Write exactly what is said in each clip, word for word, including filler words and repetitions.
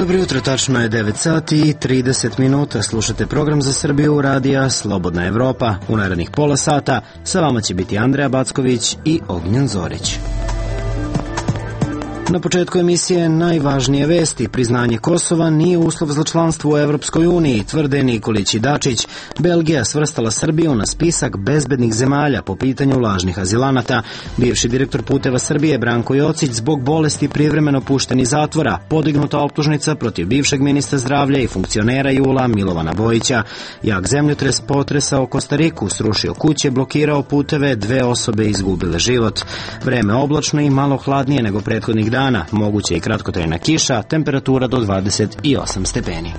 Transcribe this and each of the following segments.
Dobro jutro, tačno je devet sati i trideset minuta. Slušate program za Srbiju radija Slobodna Evropa. U narednih pola sata sa vama će biti Andreja Backović i Ognjen Zorić. Na početku emisije najvažnije vesti. Priznanje Kosova nije uslov za članstvo u Evropskoj uniji, tvrde Nikolić i Dačić. Belgija svrstala Srbiju na spisak bezbednih zemalja po pitanju lažnih azilanata. Bivši direktor Puteva Srbije Branko Jocić zbog bolesti privremeno pušten iz zatvora. Podignuta optužnica protiv bivšeg ministra zdravlja i funkcionera Jula Milovana Bojića. Jak zemljotres potresao Kostariku, srušio kuće, blokirao puteve, dve osobe izgubile život. Vreme oblačno i malo hladnije nego prethodnih dana, moguće i kratkotrajna kiša, temperatura do dvadeset osam stepeni.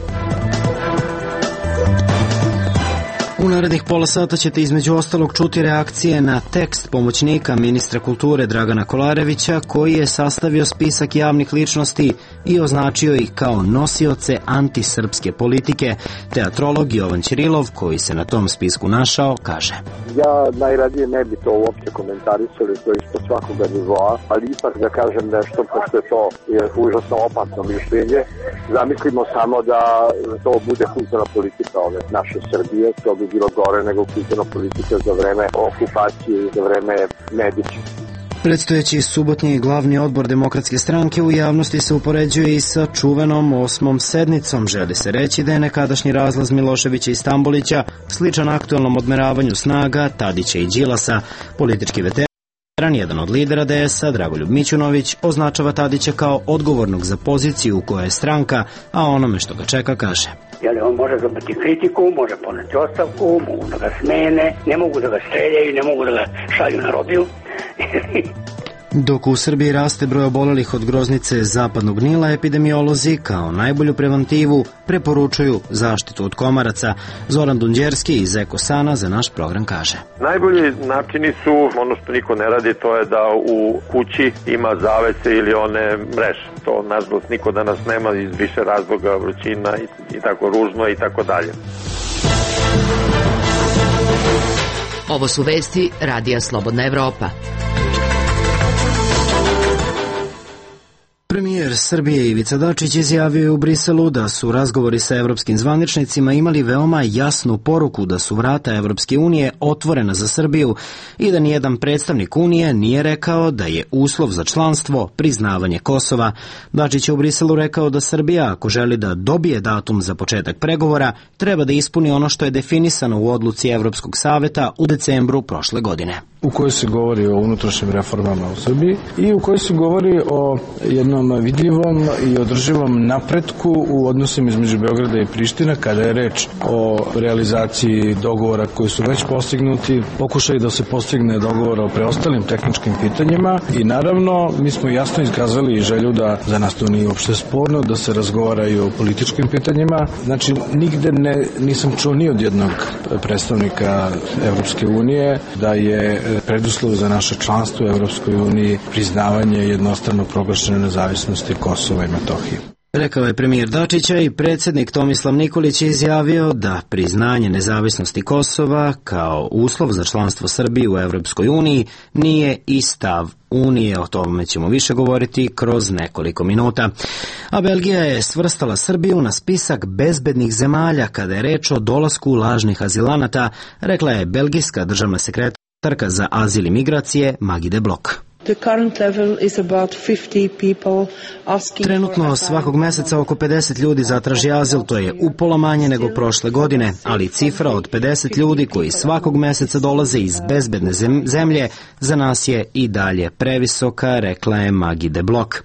U narednih pola sata ćete između ostalog čuti reakcije na tekst pomoćnika ministra kulture Dragana Kolarevića, koji je sastavio spisak javnih ličnosti i označio ih kao nosioce antisrpske politike. Teatrolog Jovan Ćirilov, koji se na tom spisku našao, kaže: Ja najradije ne bi to uopće komentarisali, to je isto svakoga nivoa, ali ipak da kažem nešto, pošto je to je užasno opasno mišljenje. Zamislimo samo da to bude kulturna politika ove naše Srbije, to bi bilo gore nego kulturna politika za vreme okupacije i za vreme Medića. Predstojeći subotnji glavni odbor Demokratske stranke u javnosti se upoređuje i sa čuvenom osmom sednicom. Želi se reći da je nekadašnji razlaz Miloševića i Stambolića sličan aktualnom odmeravanju snaga Tadića i Đilasa. Politički veteran, jedan od lidera D S-a, Dragoljub Mićunović, označava Tadića kao odgovornog za poziciju u kojoj je stranka, a onome što ga čeka kaže: Jel, on može dobiti kritiku, može poneti ostavku, mogu da ga smene, ne mogu da ga streljaju, ne mogu da ga šalju na robiju. Dok u Srbiji raste broj obolelih od groznice zapadnog Nila, epidemiolozi kao najbolju preventivu preporučuju zaštitu od komaraca. Zoran Dunđerski iz Ekosana za naš program kaže: Najbolji načini su, ono što niko ne radi, to je da u kući ima zavese ili one mreže. To, nažalost, niko danas nema iz više razloga, vrućina i, i tako ružno i tako dalje. Ovo su vesti radija Slobodna Evropa. Premijer Srbije Ivica Dačić izjavio je u Briselu da su razgovori sa evropskim zvaničnicima imali veoma jasnu poruku da su vrata Evropske unije otvorena za Srbiju i da nijedan predstavnik Unije nije rekao da je uslov za članstvo priznavanje Kosova. Dačić je u Briselu rekao da Srbija, ako želi da dobije datum za početak pregovora, treba da ispuni ono što je definisano u odluci Evropskog saveta u decembru prošle godine, u kojoj se govori o unutrašnjim reformama u Srbiji i u kojoj se govori o jednom vidljivom i održivom napretku u odnosima između Beograda i Priština kada je reč o realizaciji dogovora koji su već postignuti, pokušaj da se postigne dogovor o preostalim tehničkim pitanjima i naravno mi smo jasno iskazali želju da za nas to nije uopšte sporno, da se razgovara i o političkim pitanjima. Znači, nigde ne, nisam čuo ni od jednog predstavnika Evropske unije da je preduslov za naše članstvo u Evropskoj uniji priznavanje jednostrano proglašene nezavisnosti Kosova i Metohije. Rekao je premijer Dačića i predsjednik Tomislav Nikolić je izjavio da priznanje nezavisnosti Kosova kao uslov za članstvo Srbije u Evropskoj uniji nije i stav Unije. O tome ćemo više govoriti kroz nekoliko minuta. A Belgija je svrstala Srbiju na spisak bezbednih zemalja kada je reč o dolasku lažnih azilanata, rekla je belgijska državna sekretarka za azil i migracije Magide Blok. Trenutno svakog meseca oko pedeset ljudi zatraži azil, to je upola manje nego prošle godine, ali cifra od pedeset ljudi koji svakog meseca dolaze iz bezbedne zemlje za nas je i dalje previsoka, rekla je Magide Blok.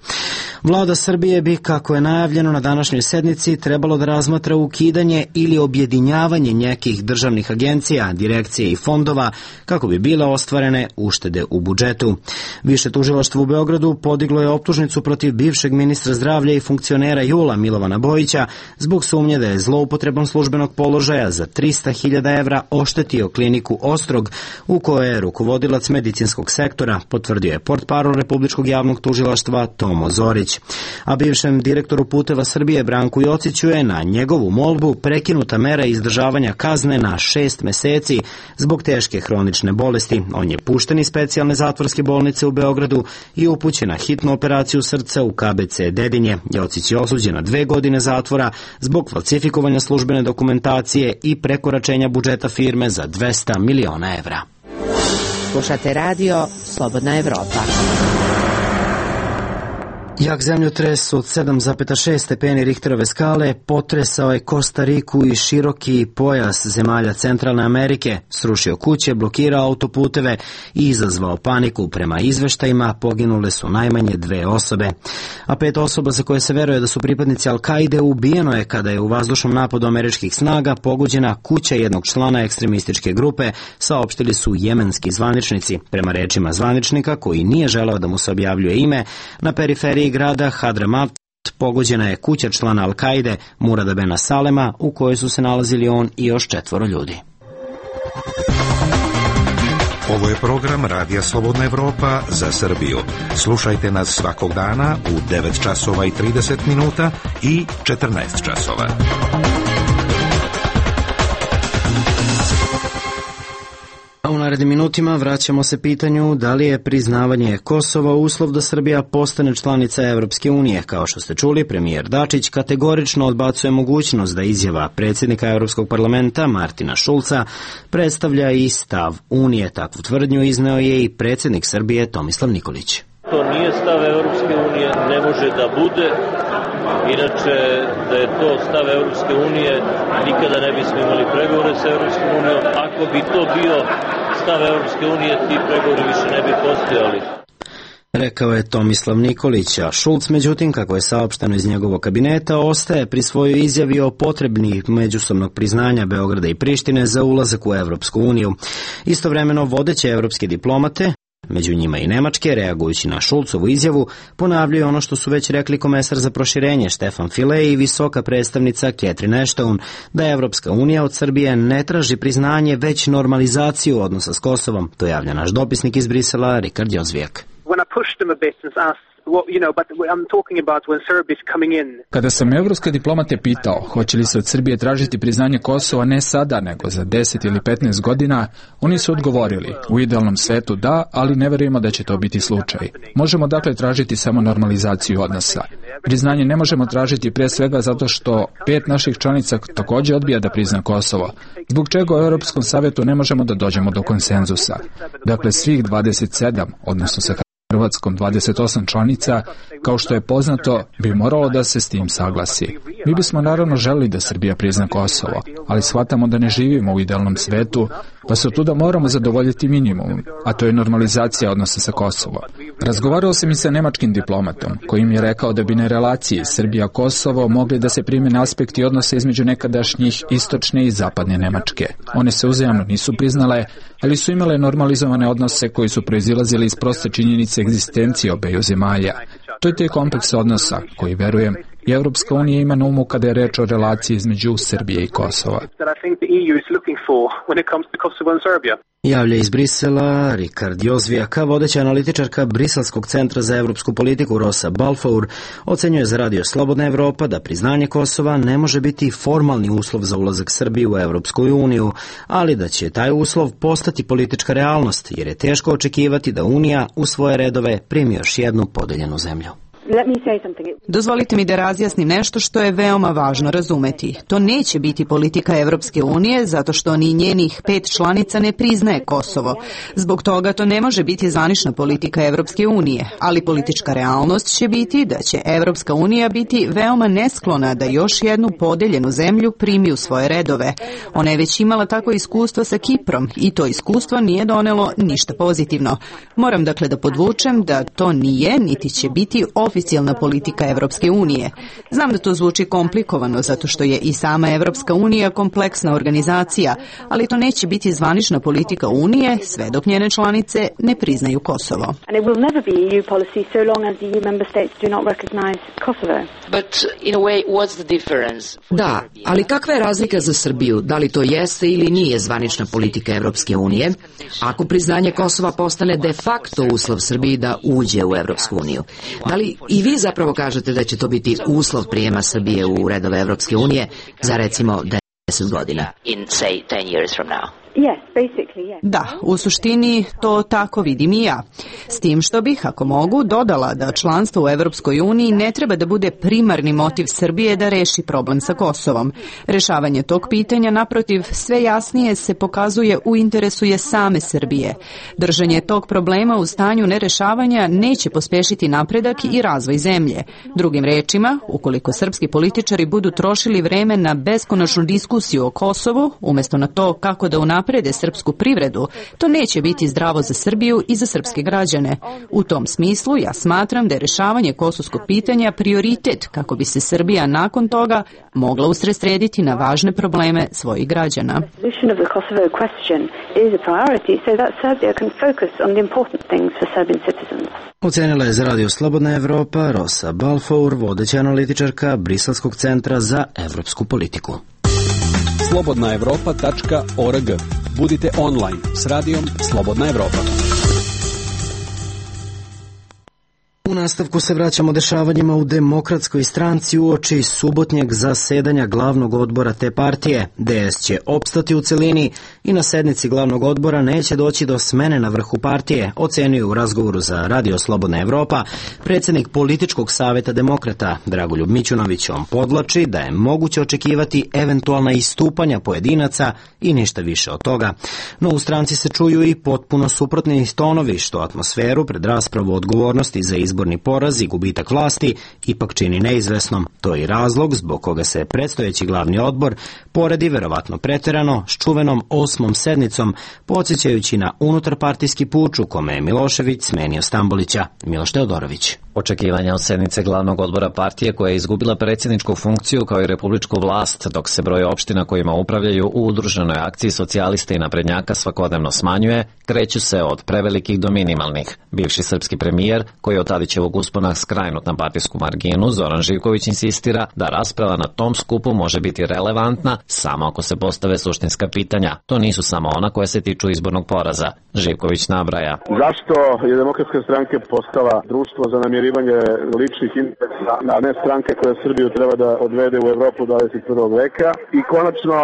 Vlada Srbije bi, kako je najavljeno na današnjoj sednici, trebalo da razmatra ukidanje ili objedinjavanje nekih državnih agencija, direkcije i fondova kako bi bile ostvarene uštede u budžetu. Više tužilaštvo u Beogradu podiglo je optužnicu protiv bivšeg ministra zdravlja i funkcionera Jula Milovana Bojića zbog sumnje da je zloupotrebom službenog položaja za trista hiljada evra oštetio kliniku Ostrog u kojoj je rukovodilac medicinskog sektora, potvrdio je portparol Republičkog javnog tužilaštva Tomo Zorić. A bivšem direktoru Puteva Srbije Branku Jociću je na njegovu molbu prekinuta mera izdržavanja kazne na šest meseci zbog teške hronične bolesti. On je pušten iz specijalne zatvorske bolnice u Beogradu Beogradu i upućen na hitnu operaciju srca u K B C Dedinje. Jocić je osuđen na dve godine zatvora zbog falsifikovanja službene dokumentacije i prekoračenja budžeta firme za dvesta miliona evra. Slušate radio Slobodna Evropa. Jak zemljotres od sedam zarez šest stepeni Richterove skale potresao je Kostariku i široki pojas zemalja Centralne Amerike, srušio kuće, blokirao autoputeve i izazvao paniku. Prema izveštajima poginule su najmanje dve osobe, a pet osoba za koje se veruje da su pripadnici Al-Kaide ubijeno je kada je u vazdušnom napadu američkih snaga pogođena kuća jednog člana ekstremističke grupe, saopštili su jemenski zvaničnici. Prema rečima zvaničnika, koji nije želeo da mu se objavljuje ime, na periferiji grada Hadremat pogođena je kuća člana Al-Kaide Murada Bena Salema, u kojoj su se nalazili on i još četvoro ljudi. Ovo je program Radija Slobodna Evropa za Srbiju. Slušajte nas svakog dana u devet časova i trideset minuta i četrnaest časova. U narednim minutima vraćamo se pitanju da li je priznavanje Kosova uslov da Srbija postane članica Evropske unije. Kao što ste čuli, premijer Dačić kategorično odbacuje mogućnost da izjava predsjednika Evropskog parlamenta Martina Šulca predstavlja i stav Unije. Takvu tvrdnju izneo je i predsjednik Srbije Tomislav Nikolić. To nije stav Evropske unije, ne može da bude. Inače, da je to stav Evropske unije, nikada ne bismo imali pregovore sa Evropskom unijom. Ako bi to bio stav Evropske unije, ti pregovori više ne bi postojali. Rekao je Tomislav Nikolić, a Šulc, međutim, kako je saopšteno iz njegovog kabineta, ostaje pri svojoj izjavi o potrebni međusobnog priznanja Beograda i Prištine za ulazak u Evropsku uniju. Istovremeno, vodeće evropske diplomate, među njima i nemačke, reagujući na Šulcovu izjavu, ponavljaju ono što su već rekli komesar za proširenje Stefan File i visoka predstavnica Catherine Ashton, da Evropska unija od Srbije ne traži priznanje, već normalizaciju odnosa s Kosovom. To javlja naš dopisnik iz Brisela, Rikard Jozvijak. Kada sam evropske diplomate pitao hoće li se od Srbije tražiti priznanje Kosova ne sada, nego za deset ili petnaest godina, oni su odgovorili, u idealnom svetu da, ali ne verujemo da će to biti slučaj. Možemo dakle tražiti samo normalizaciju odnosa. Priznanje ne možemo tražiti pre svega zato što pet naših članica također odbija da prizna Kosovo, zbog čega u Europskom savjetu ne možemo da dođemo do konsenzusa. Dakle, svih dvadeset sedam, odnosno sa Hrvatskom dvadeset osam članica, kao što je poznato, bi moralo da se s tim saglasi. Mi bismo naravno želeli da Srbija prizna Kosovo, ali shvatamo da ne živimo u idealnom svetu, pa se otuda moramo zadovoljiti minimum, a to je normalizacija odnosa sa Kosovom. Razgovarao sam i sa nemačkim diplomatom, koji mi je rekao da bi na relaciji Srbija-Kosovo mogli da se primene aspekti odnosa između nekadašnjih istočne i zapadne Nemačke. One se uzajamno nisu priznale, ali su imale normalizovane odnose koji su proizilazili iz proste činjenice egzistencije obeju zemalja. To je taj kompleks odnosa koji, verujem, i Evropska unija ima na umu kada je reč o relaciji između Srbije i Kosova. Javlja iz Brisela Rikard Jozvijaka, vodeća analitičarka Briselskog centra za evropsku politiku Rosa Balfour, ocenjuje za Radio Slobodna Evropa da priznanje Kosova ne može biti formalni uslov za ulazak Srbije u Evropsku uniju, ali da će taj uslov postati politička realnost, jer je teško očekivati da Unija u svoje redove primi još jednu podeljenu zemlju. Dozvolite mi da razjasnim nešto što je veoma važno razumeti. To neće biti politika Evropske unije zato što ni njenih pet članica ne priznaje Kosovo. Zbog toga to ne može biti zvanična politika Evropske unije, ali politička realnost će biti da će Evropska unija biti veoma nesklona da još jednu podeljenu zemlju primi u svoje redove. Ona je već imala tako iskustvo sa Kiprom i to iskustvo nije donelo ništa pozitivno. Moram dakle da podvučem da to nije niti će biti oficijalna politika Evropske unije. Znam da to zvuči komplikovano zato što je i sama Evropska unija kompleksna organizacija, ali to neće biti zvanična politika Unije sve dok njene članice ne priznaju Kosovo. Da, ali kakva je razlika za Srbiju? Da li to jeste ili nije zvanična politika Evropske unije? Ako priznanje Kosova postane de facto uslov Srbiji da uđe u Evropsku uniju, da li i vi zapravo kažete da će to biti uslov prijema Srbije u redove Evropske unije za recimo deset godina? Da, u suštini to tako vidim i ja. S tim što bih, ako mogu, dodala da članstvo u Evropskoj uniji ne treba da bude primarni motiv Srbije da reši problem sa Kosovom. Rešavanje tog pitanja, naprotiv, sve jasnije se pokazuje u interesu je same Srbije. Držanje tog problema u stanju nerešavanja neće pospešiti napredak i razvoj zemlje. Drugim rečima, ukoliko srpski političari budu trošili vreme na beskonačnu diskusiju o Kosovu, umjesto na to kako da unaprede srpsku privredu, to neće biti zdravo za Srbiju i za srpske građane. U tom smislu ja smatram da je rešavanje kosovskog pitanja prioritet kako bi se Srbija nakon toga mogla usredsrediti na važne probleme svojih građana. Ocenila je za Radio Slobodna Evropa Rosa Balfour, vodeća analitičarka Briselskog centra za evropsku politiku. slobodna evropa tačka org. Budite online s radijom Slobodna Evropa. U nastavku se vraćamo dešavanjima u Demokratskoj stranci uoči subotnjeg zasedanja glavnog odbora te partije. D S će opstati u celini i na sednici glavnog odbora neće doći do smene na vrhu partije, ocenio u razgovoru za Radio Slobodna Evropa predsjednik političkog saveta Demokrata Dragoljub Mićunović. On podlači da je moguće očekivati eventualna istupanja pojedinaca i ništa više od toga. No u stranci se čuju i potpuno suprotni tonovi, što atmosferu pred raspravu odgovornosti za izborni poraz i gubitak vlasti ipak čini neizvesnom. To je i razlog zbog koga se predstojeći glavni odbor poredi verovatno preterano s čuvenom osmom sednicom, podsjećajući na unutarpartijski puč u kome je Milošević smenio Stambolića. Miloš Teodorović. Očekivanja od sednice glavnog odbora partije koja je izgubila predsjedničku funkciju kao i republičku vlast, dok se broj opština kojima upravljaju u udruženoj akciji socijalista i naprednjaka svakodnevno smanjuje, kreću se od prevelikih do minimalnih. Bivši srpski premijer, koji od Tadićevog uspona skrajnut na partijsku marginu, Zoran Živković insistira da rasprava na tom skupu može biti relevantna samo ako se postave suštinska pitanja. To nisu samo ona koja se tiču izbornog poraza. Živković nabraja. Zašto je Demokratska stranka postala društvo za namirivanje ličnih interesa, a ne stranke koja Srbiju treba da odvede u Evropu dvadeset prvog veka? I konačno,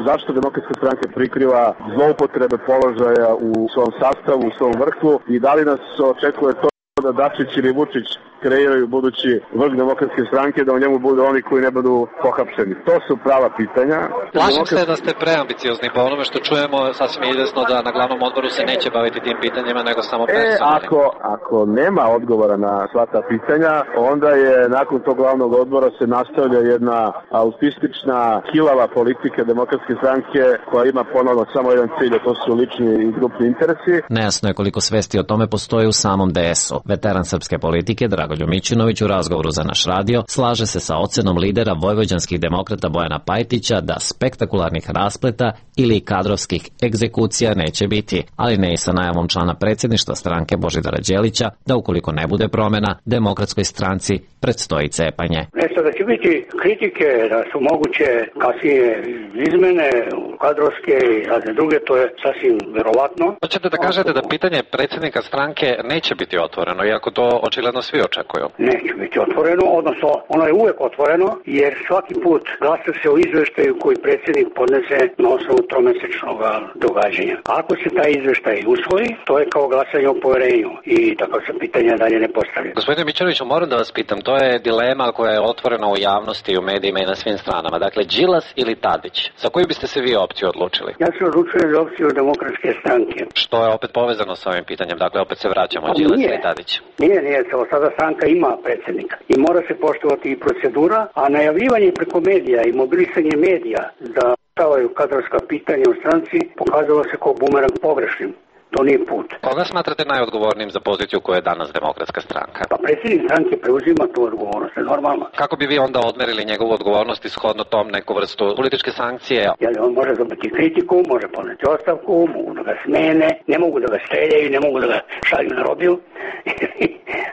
zašto Demokratska stranka prikriva zloupotrebe položaja u svom sastavu, u svom vrhu i da li nas očekuje to da Dačić ili Vučić kreiraju budući vrh Demokratske stranke, da u njemu budu oni koji ne budu pohapšeni. To su prava pitanja. Plašim se da ste preambiciozni po onome što čujemo, sasvim izvesno da na glavnom odboru se neće baviti tim pitanjima, nego samo personalnim. E, ako, ako nema odgovora na sva ta pitanja, onda je nakon tog glavnog odbora se nastavlja jedna autistična, kilava politika Demokratske stranke koja ima ponovno samo jedan cilj, a to su lični i grupni interesi. Nejasno je koliko svesti o tome postoji u samom D S-u. Veteran srpske politike Dragoljub Mićunović u razgovoru za naš radio slaže se sa ocenom lidera vojvođanskih demokrata Bojana Pajtića da spektakularnih raspleta ili kadrovskih egzekucija neće biti, ali ne i sa najavom člana predsjedništva stranke Božidara Đelića da ukoliko ne bude promjena Demokratskoj stranci predstoji cepanje. Nešto da će biti kritike da su moguće kasnije izmene kadrovske i razne druge, to je sasvim verovatno. Hoćete da kažete da pitanje predsjednika stranke neće biti otvoreno, iako to očigledno svi očekuju? Neće biti otvoreno, odnosno ono je uvek otvoreno, jer svaki put glasa se o izveštaju koji predsjednik podnese na osnovu tromesečnog događanja. Ako se taj izveštaj usvoji, to je kao glasanje o poverenju i tako se pitanja dalje ne postavlja. Gospodine Mićunoviću, moram da vas pitam, to je dilema koja je otvorena u javnosti, u medijima i na svim stranama. Dakle, Đilas ili Tadić? Za koju biste se vi opciju odlučili? Ja se odlučujem za opciju Demokratske stranke. Što je opet povezano sa ovim pitanjem, dakle opet se vraćamo Đilas ili Tadić? Nije, nije, sada stranka ima predsjednika i mora se poštovati i procedura, a najavljivanje preko medija i mobilisanje medija da stavaju kadrovska pitanja u stranci pokazalo se kao bumerang pogrešnim. To nije put. Koga smatrate najodgovornijim za poziciju koja je danas Demokratska stranka? Pa predsjednik stranke preuzima tu odgovornost, je normalno. Kako bi vi onda odmerili njegovu odgovornost i shodno tom neku vrstu političke sankcije? Jel, on može dobiti kritiku, može poneti ostavku, mogu da ga smene, ne mogu da ga streljaju, ne mogu da ga šalju na robiju.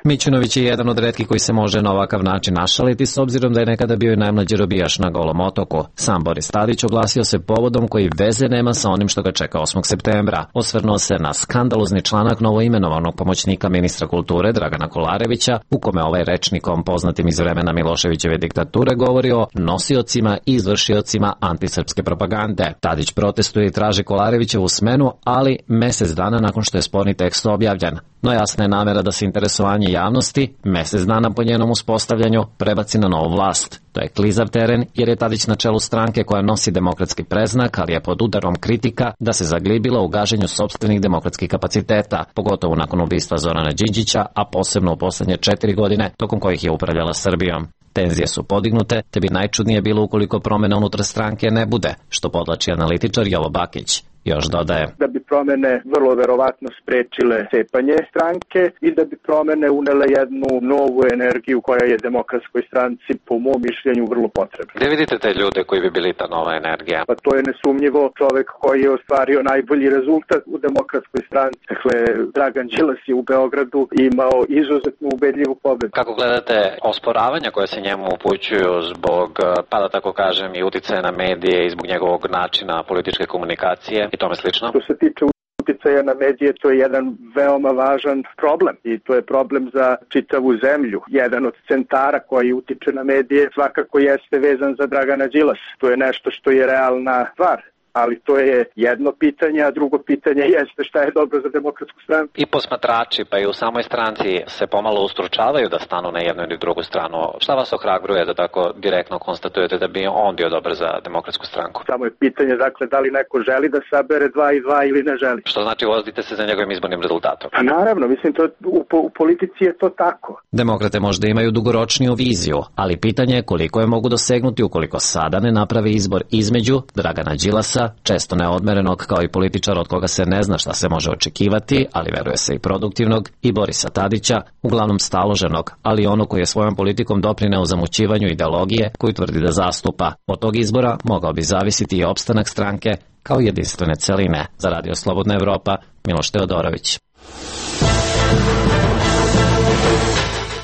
Mićunović je jedan od retkih koji se može na ovakav način našaliti s obzirom da je nekada bio i najmlađi robijaš na Golom otoku. Sam Boris Tadić oglasio se povodom koji veze nema sa onim što ga čeka osmog septembra. Osvrnuo se na skandalozni članak novoimenovanog pomoćnika ministra kulture Dragana Kolarevića, u kome ovaj rečnikom poznatim iz vremena Miloševićeve diktature govori o nosiocima i izvršiocima antisrpske propagande. Tadić protestuje i traži Kolarevićevu smenu, ali mesec dana nakon što je sporni tekst objavljen. No jasna je namera da se interesovanje javnosti, mesec dana po njenom uspostavljanju, prebaci na novu vlast. To je klizav teren jer je Tadić na čelu stranke koja nosi demokratski preznak, ali je pod udarom kritika da se zaglibila u gaženju sopstvenih demokratskih kapaciteta, pogotovo nakon ubistva Zorana Đinđića, a posebno u poslednje četiri godine, tokom kojih je upravljala Srbijom. Tenzije su podignute, te bi najčudnije bilo ukoliko promjena unutar stranke ne bude, što podlači analitičar Jovo Bakić. Još dodaje da bi promene vrlo verovatno sprečile cepanje stranke i da bi promene unele jednu novu energiju koja je demokratskoj stranci po mom mišljenju vrlo potrebna. Gde vidite te ljude koji bi bili ta nova energija? Pa to je nesumnjivo čovek koji je ostvario najbolji rezultat u demokratskoj stranci. Dakle, Dragan Đilas je u Beogradu imao izuzetno ubedljivu pobedu. Kako gledate osporavanja koje se njemu upućuju zbog, pa da tako kažem, i uticaja na medije i zbog njegovog načina političke komunikacije i tome slično? Što se tiče uticaja na medije, to je jedan veoma važan problem i to je problem za čitavu zemlju. Jedan od centara koji utiče na medije svakako jeste vezan za Dragana Đilasa. To je nešto što je realna stvar. Ali to je jedno pitanje, a drugo pitanje jeste šta je dobro za demokratsku stranu. I posmatrači, pa i u samoj stranci se pomalo ustručavaju da stanu na jednu ili drugu stranu. Šta vas ohrabruje da tako direktno konstatujete da bi on bio dobar za demokratsku stranku? Samo je pitanje, dakle, da li neko želi da sabere dva i dva ili ne želi. Što znači vozite se za njegovim izbornim rezultatom? Pa naravno, mislim, to, u, u politici je to tako. Demokrate možda imaju dugoročniju viziju, ali pitanje je koliko je mogu dosegnuti ukoliko sada ne naprave izbor između Dragana Đilasa, često neodmerenog kao i političar od koga se ne zna šta se može očekivati, ali veruje se i produktivnog, i Borisa Tadića, uglavnom staloženog, ali ono koji je svojom politikom doprineo zamućivanju ideologije koju tvrdi da zastupa. Od tog izbora mogao bi zavisiti i opstanak stranke kao jedinstvene celine. Za Radio Slobodna Evropa, Miloš Teodorović.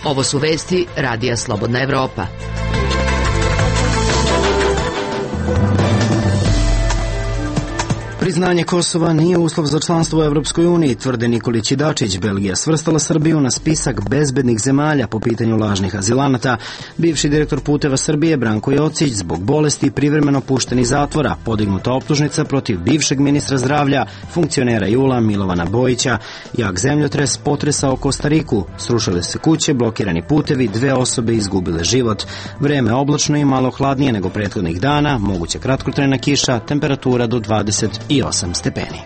Ovo su vesti Radija Slobodna Evropa. Priznanje Kosova nije uslov za članstvo u Evropskoj uniji, tvrde Nikolić i Dačić. Belgija svrstala Srbiju na spisak bezbednih zemalja po pitanju lažnih azilanata. Bivši direktor Puteva Srbije Branko Jocić zbog bolesti privremeno pušten iz zatvora. Podignuta optužnica protiv bivšeg ministra zdravlja, funkcionera Jula Milovana Bojića. Jak zemljotres potresao Kostariku. Srušile se kuće, blokirani putevi, dve osobe izgubile život. Vreme oblačno i malo hladnije nego prethodnih dana, moguća kratkotrajna kiša, temperatura do dvadeset osam stepeni.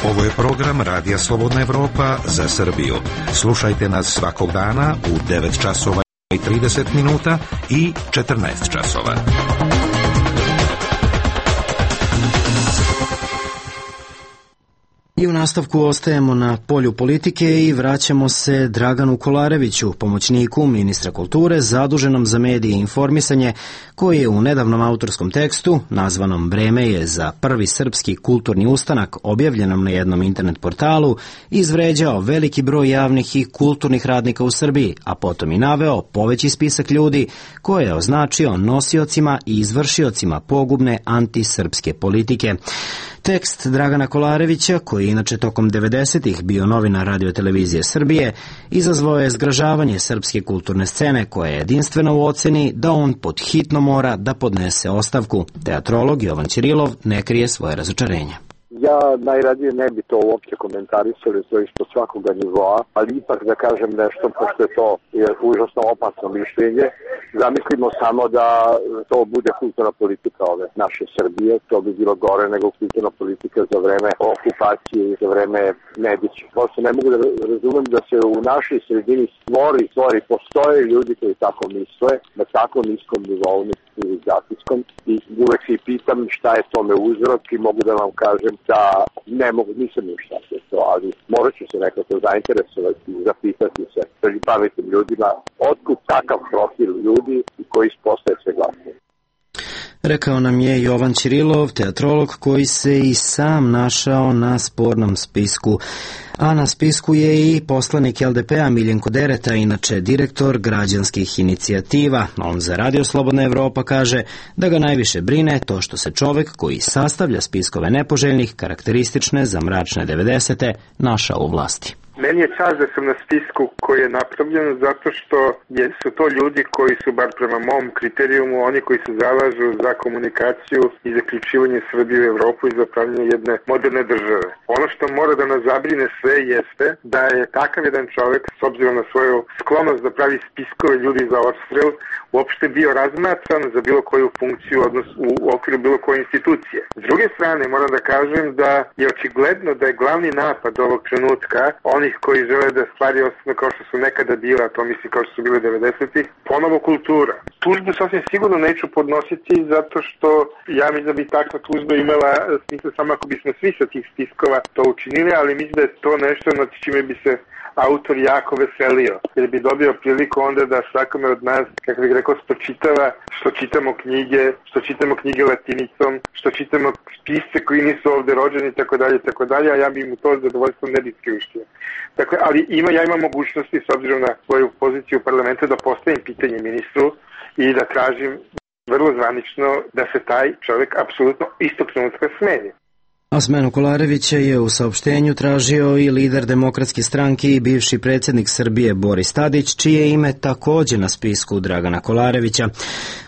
Ovo je program Radija Slobodna Evropa za Srbiju. Slušajte nas svakog dana u devet časova i trideset minuta i četrnaest časova. I u nastavku ostajemo na polju politike i vraćamo se Draganu Kolareviću, pomoćniku ministra kulture zaduženom za medije i informisanje, koji je u nedavnom autorskom tekstu, nazvanom Vreme je za prvi srpski kulturni ustanak, objavljenom na jednom internet portalu, izvređao veliki broj javnih i kulturnih radnika u Srbiji, a potom i naveo poveći spisak ljudi koje je označio nosiocima i izvršiocima pogubne antisrpske politike. Tekst Dragana Kolarevića, koji je inače tokom devedesetih bio novinar Radio-televizije Srbije, izazvao je zgražavanje srpske kulturne scene, koja je jedinstvena u oceni da on pod hitno mora da podnese ostavku. Teatrolog Jovan Ćirilov ne krije svoje razočarenje. Ja najradije ne bi to uopće komentarisali to isto svakoga nivoa, ali ipak da kažem nešto, pošto je to je užasno opasno mišljenje. Zamislimo samo da to bude kulturna politika ove naše Srbije, to bi bilo gore nego kulturna politika za vreme okupacije i za vreme Nedića. Prosto ne mogu da razumem da se u našoj sredini stvori, stvori, postoje ljudi koji tako misle, na tako niskom nivou, civilizacijskom, i uvek se i pitam šta je tome uzrok i mogu da vam kažem da ne mogu, nisam još šta se to, ali morat ću se nekako zainteresovati i zapitati se među pametnim ljudima otkud takav profil ljudi koji postaje sve glasnije. Rekao nam je Jovan Ćirilov, teatrolog koji se i sam našao na spornom spisku. A na spisku je i poslanik L D P-a Miljenko Dereta, inače direktor građanskih inicijativa. On za Radio Slobodna Evropa kaže da ga najviše brine to što se čovek koji sastavlja spiskove nepoželjnih, karakteristične za mračne devedesete, našao u vlasti. Meni je čast da sam na spisku koji je napravljen zato što je, su to ljudi koji su, bar prema mom kriterijumu, oni koji se zalažu za komunikaciju i zaključivanje Srbije u Evropu i za pravljanje jedne moderne države. Ono što mora da nas zabrine sve jeste da je takav jedan čovek, s obzirom na svoju sklonost da pravi spiskove ljudi za odstrel, uopšte bio razmatran za bilo koju funkciju, odnosno u okviru bilo koje institucije. S druge strane, moram da kažem da je očigledno da je glavni napad ovog trenutka onih koji žele da stvari ostanu kao što su nekada bila, to mislim kao što su bile devedesetih, ponovo kultura. Tužbu sasvim sigurno neću podnositi zato što ja mislim da bi takva tužba imala smisla samo ako bismo svi sa tih spiskova to učinili, ali mislim da je to nešto nad čime bi se autor jako veselio, jer bi dobio priliku onda da svakome od nas, kako bih rekao, spočitava što čitamo knjige, što čitamo knjige latinicom, što čitamo pisce koji nisu ovde rođeni i tako dalje, tako dalje, a ja bi mu to zadovoljstvo ne bi priuštio. Dakle, ali ima, ja imam mogućnosti, s obzirom na svoju poziciju u parlamentu, da postavim pitanje ministru i da tražim vrlo zvanično da se taj čovjek apsolutno istog trenutka smeni. A smenu Kolarevića je u saopštenju tražio i lider Demokratske stranke i bivši predsjednik Srbije Boris Tadić, čije ime takođe na spisku Dragana Kolarevića.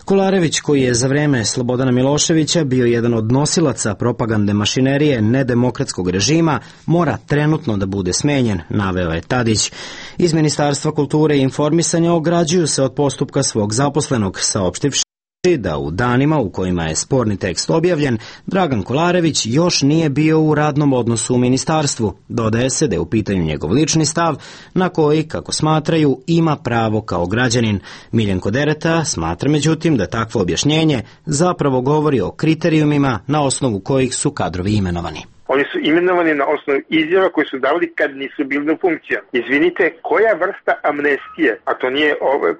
Kolarević, koji je za vreme Slobodana Miloševića bio jedan od nosilaca propagande mašinerije nedemokratskog režima, mora trenutno da bude smenjen, naveo je Tadić. Iz Ministarstva kulture i informisanja ograđuju se od postupka svog zaposlenog, saopštivši da u danima u kojima je sporni tekst objavljen, Dragan Kolarević još nije bio u radnom odnosu u ministarstvu. Dodaje se da je u pitanju njegov lični stav, na koji, kako smatraju, ima pravo kao građanin. Miljenko Dereta smatra međutim da takvo objašnjenje zapravo govori o kriterijumima na osnovu kojih su kadrovi imenovani. Oni su imenovani na osnovu izjava koje su davali kad nisu bili na funkcija. Izvinite, koja vrsta amnestije, a to nije,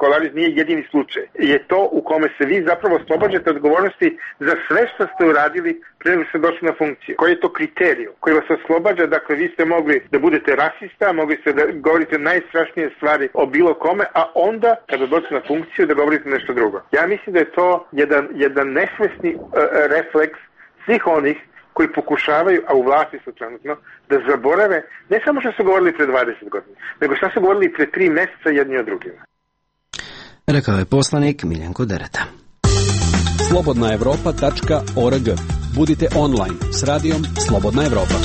Kolarević nije jedini slučaj, je to u kome se vi zapravo oslobađate odgovornosti za sve što ste uradili pre nego ste došli na funkciju? Koji je to kriterij koji vas oslobađa? Dakle, vi ste mogli da budete rasista, mogli ste da govorite najstrašnije stvari o bilo kome, a onda, kada dođete na funkciju, da govorite nešto drugo. Ja mislim da je to jedan, jedan nesvesni uh, refleks svih onih koji pokušavaju, a u vlasti su trenutno, da zaborave ne samo što su govorili pre dvadeset godina, nego što su govorili pre tri meseca jedni od drugima. Rekao je poslanik Miljenko Dereta. slobodna evropa tačka org. Budite online s radijom Slobodna Evropa.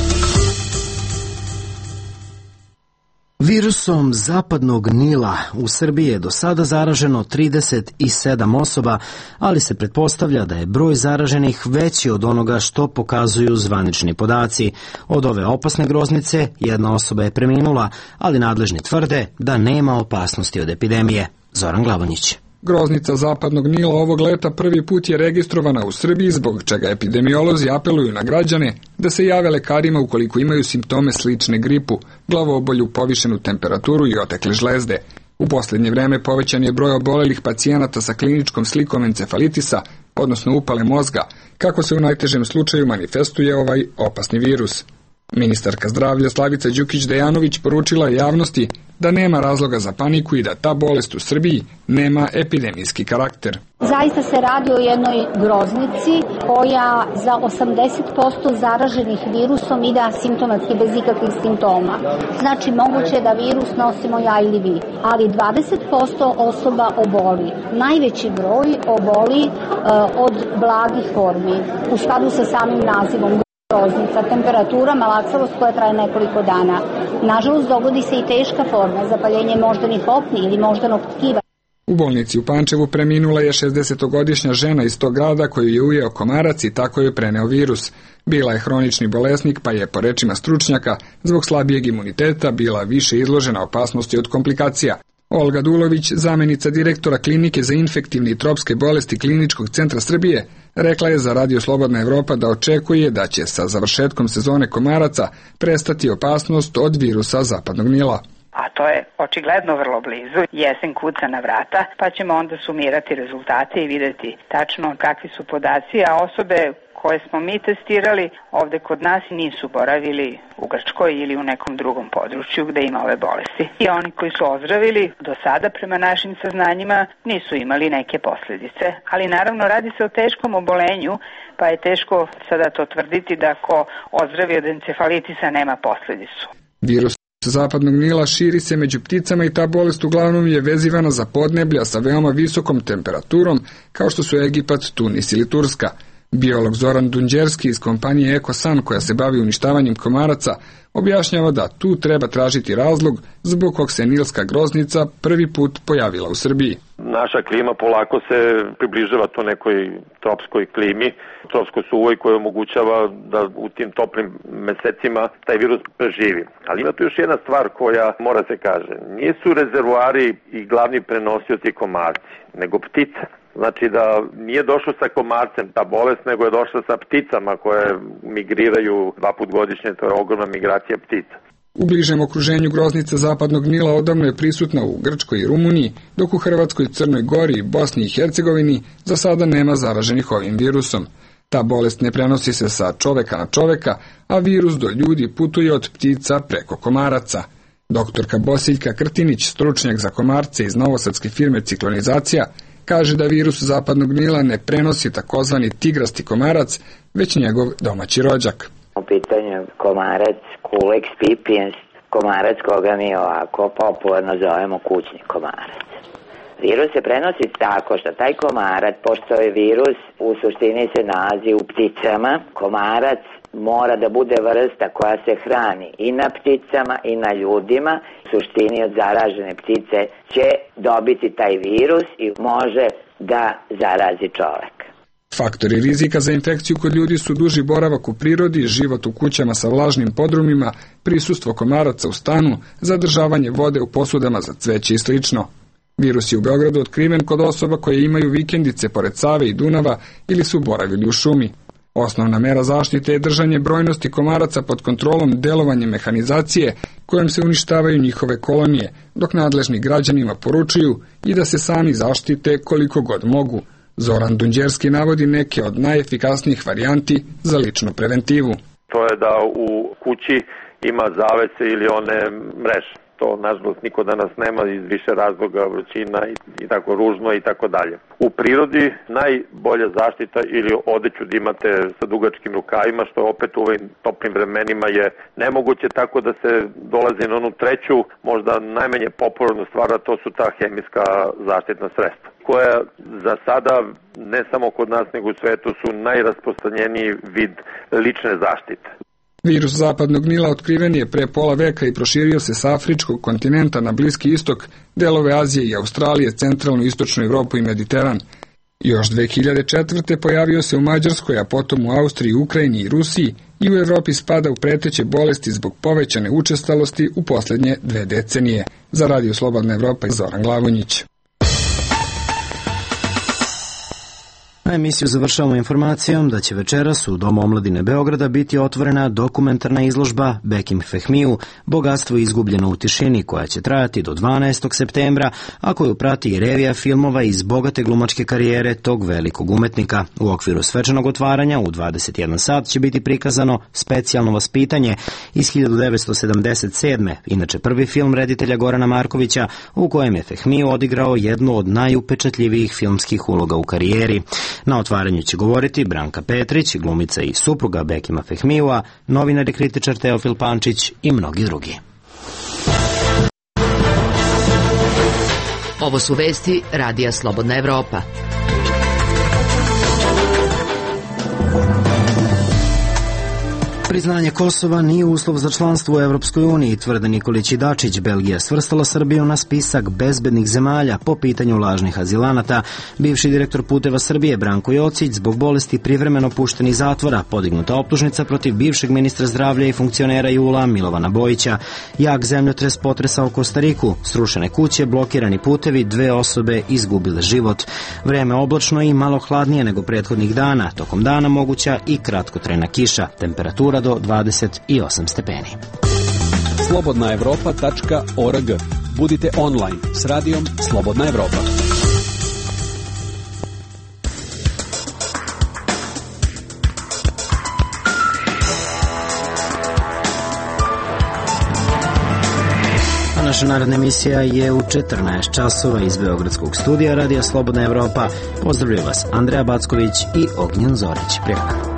Virusom zapadnog Nila u Srbiji je do sada zaraženo trideset sedam osoba, ali se pretpostavlja da je broj zaraženih veći od onoga što pokazuju zvanični podaci. Od ove opasne groznice jedna osoba je preminula, ali nadležni tvrde da nema opasnosti od epidemije. Zoran Glavonjić. Groznica zapadnog Nila ovog leta prvi put je registrovana u Srbiji, zbog čega epidemiolozi apeluju na građane da se jave lekarima ukoliko imaju simptome slične gripu, glavobolju, povišenu temperaturu i otekle žlezde. U posljednje vreme povećan je broj obolelih pacijenata sa kliničkom slikom encefalitisa, odnosno upale mozga, kako se u najtežem slučaju manifestuje ovaj opasni virus. Ministarka zdravlja Slavica Đukić-Dejanović poručila javnosti da nema razloga za paniku i da ta bolest u Srbiji nema epidemijski karakter. Zaista se radi o jednoj groznici koja za osamdeset posto zaraženih virusom ide asimptomatski bez ikakvih simptoma. Znači moguće je da virus nosimo ja ili vi, ali dvadeset posto osoba oboli. Najveći broj oboli uh, od blagih formi u skladu sa samim nazivom. Groznica, temperatura, malaksavost koja traje nekoliko dana. Nažalost, dogodi se i teška forma, zapaljenje moždanih opni ili moždanog tkiva. U bolnici u Pančevu preminula je šezdesetogodišnja žena iz tog grada koju je ujeo komarac i tako je preneo virus. Bila je hronični bolesnik, pa je, po rečima stručnjaka, zbog slabijeg imuniteta bila više izložena opasnosti od komplikacija. Olga Dulović, zamenica direktora klinike za infektivne i tropske bolesti Kliničkog centra Srbije, rekla je za Radio Slobodna Evropa da očekuje da će sa završetkom sezone komaraca prestati opasnost od virusa zapadnog Nila. a to je očigledno vrlo blizu. Jesen kuca na vrata, pa ćemo onda sumirati rezultate i videti tačno kakvi su podaci, a osobe koje smo mi testirali ovde kod nas nisu boravili u Grčkoj ili u nekom drugom području gde ima ove bolesti. I oni koji su ozdravili do sada prema našim saznanjima nisu imali neke posledice. Ali naravno radi se o teškom obolenju, pa je teško sada to tvrditi da ko ozdravi od encefalitisa nema posledicu. Virus zapadnog Nila širi se među pticama i ta bolest uglavnom je vezivana za podneblja sa veoma visokom temperaturom kao što su Egipat, Tunis ili Turska. Biolog Zoran Dunđerski iz kompanije EcoSan koja se bavi uništavanjem komaraca objašnjava da tu treba tražiti razlog zbog kog se nilska groznica prvi put pojavila u Srbiji. Naša klima polako se približava to nekoj tropskoj klimi, tropskoj suvoj koja omogućava da u tim toplim mesecima taj virus preživi. Ali ima tu još jedna stvar koja mora se kaže. Nisu rezervoari i glavni prenosioci komarci, nego ptice. Znači da nije došlo sa komarcem ta bolest, nego je došla sa pticama koje migriraju dva put godišnje, to je ogromna migracija ptica. U bližem okruženju groznica zapadnog Nila odavno je prisutna u Grčkoj i Rumuniji, dok u Hrvatskoj, Crnoj Gori, Bosni i Hercegovini za sada nema zaraženih ovim virusom. Ta bolest ne prenosi se sa čoveka na čoveka, a virus do ljudi putuje od ptica preko komaraca. Doktorka Bosiljka Krtinić, stručnjak za komarce iz novosadske firme Ciklonizacija, kaže da virus zapadnog Nila ne prenosi takozvani tigrasti komarac, već njegov domaći rođak. U pitanju komarac Culex pipiens, komarac koga mi ovako popularno zovemo kućni komarac. Virus se prenosi tako što taj komarac, pošto je virus u suštini se nalazi u pticama, komarac mora da bude vrsta koja se hrani i na pticama i na ljudima. U suštini od zaražene ptice će dobiti taj virus i može da zarazi čovek. Faktori rizika za infekciju kod ljudi su duži boravak u prirodi, život u kućama sa vlažnim podrumima, prisustvo komaraca u stanu, zadržavanje vode u posudama za cveće i slično. Virus je u Beogradu otkriven kod osoba koje imaju vikendice pored Save i Dunava ili su boravili u šumi. Osnovna mera zaštite je držanje brojnosti komaraca pod kontrolom delovanja mehanizacije kojom se uništavaju njihove kolonije, dok nadležni građanima poručuju i da se sami zaštite koliko god mogu. Zoran Dunđerski navodi neke od najefikasnijih varijanti za ličnu preventivu. To je da u kući ima zavese ili one mreže. To, nažalost, niko danas nema iz više razloga, vrućina i, i tako ružno i tako dalje. U prirodi najbolja zaštita ili odeću da imate sa dugačkim rukavima, što opet u ovim toplim vremenima je nemoguće, tako da se dolazi na onu treću, možda najmanje popularnu stvar, a to su ta hemijska zaštitna sredstva, koja za sada, ne samo kod nas, nego u svetu, su najrasprostranjeniji vid lične zaštite. Virus zapadnog Nila otkriven je pre pola veka i proširio se sa afričkog kontinenta na Bliski istok, delove Azije i Australije, centralnu istočnu Evropu i Mediteran. Još dve hiljade četvrte pojavio se u Mađarskoj, a potom u Austriji, Ukrajini i Rusiji i u Evropi spada u preteće bolesti zbog povećane učestalosti u poslednje dve decenije. Za Radio Slobodna Evropa i Zoran Glavonjić. Na emisiju završavamo informacijom da će večeras u Domu omladine Beograda biti otvorena dokumentarna izložba Bekim Fehmiju, Bogatstvo izgubljeno u tišini, koja će trajati do dvanaestog septembra, a koju prati i revija filmova iz bogate glumačke karijere tog velikog umetnika. U okviru svečanog otvaranja u dvadeset jedan sat će biti prikazano Specijalno vaspitanje iz hiljadu devetsto sedamdeset sedme, inače prvi film reditelja Gorana Markovića, u kojem je Fehmiju odigrao jednu od najupečatljivijih filmskih uloga u karijeri. Na otvaranju će govoriti Branka Petrić, glumica i supruga Bekima Fehmijua, novinar i kritičar Teofil Pančić i mnogi drugi. Ovo su vesti Radija Slobodna Evropa. Priznanje Kosova nije uslov za članstvo u Evropskoj uniji, tvrde Nikolić i Dačić. Belgija svrstala Srbiju na spisak bezbednih zemalja po pitanju lažnih azilanata. Bivši direktor Puteva Srbije Branko Jocić zbog bolesti privremeno pušten iz zatvora, podignuta optužnica protiv bivšeg ministra zdravlja i funkcionera Jula Milovana Bojića. Jak zemljotres potresao Kostariku, srušene kuće, blokirani putevi, dve osobe izgubile život. Vreme oblačno i malo hladnije nego prethodnih dana, tokom dana moguća i kratkotrajna kiša, temperatura do dvadeset osam stepeni. slobodna evropa tačka org. Budite online s radijom Slobodna Evropa. Naša naredna emisija je u četrnaest časova iz Beogradskog studija Radija Slobodna Evropa. Pozdravljaju vas Andreja Backović i Ognjen Zorić. Prijatno.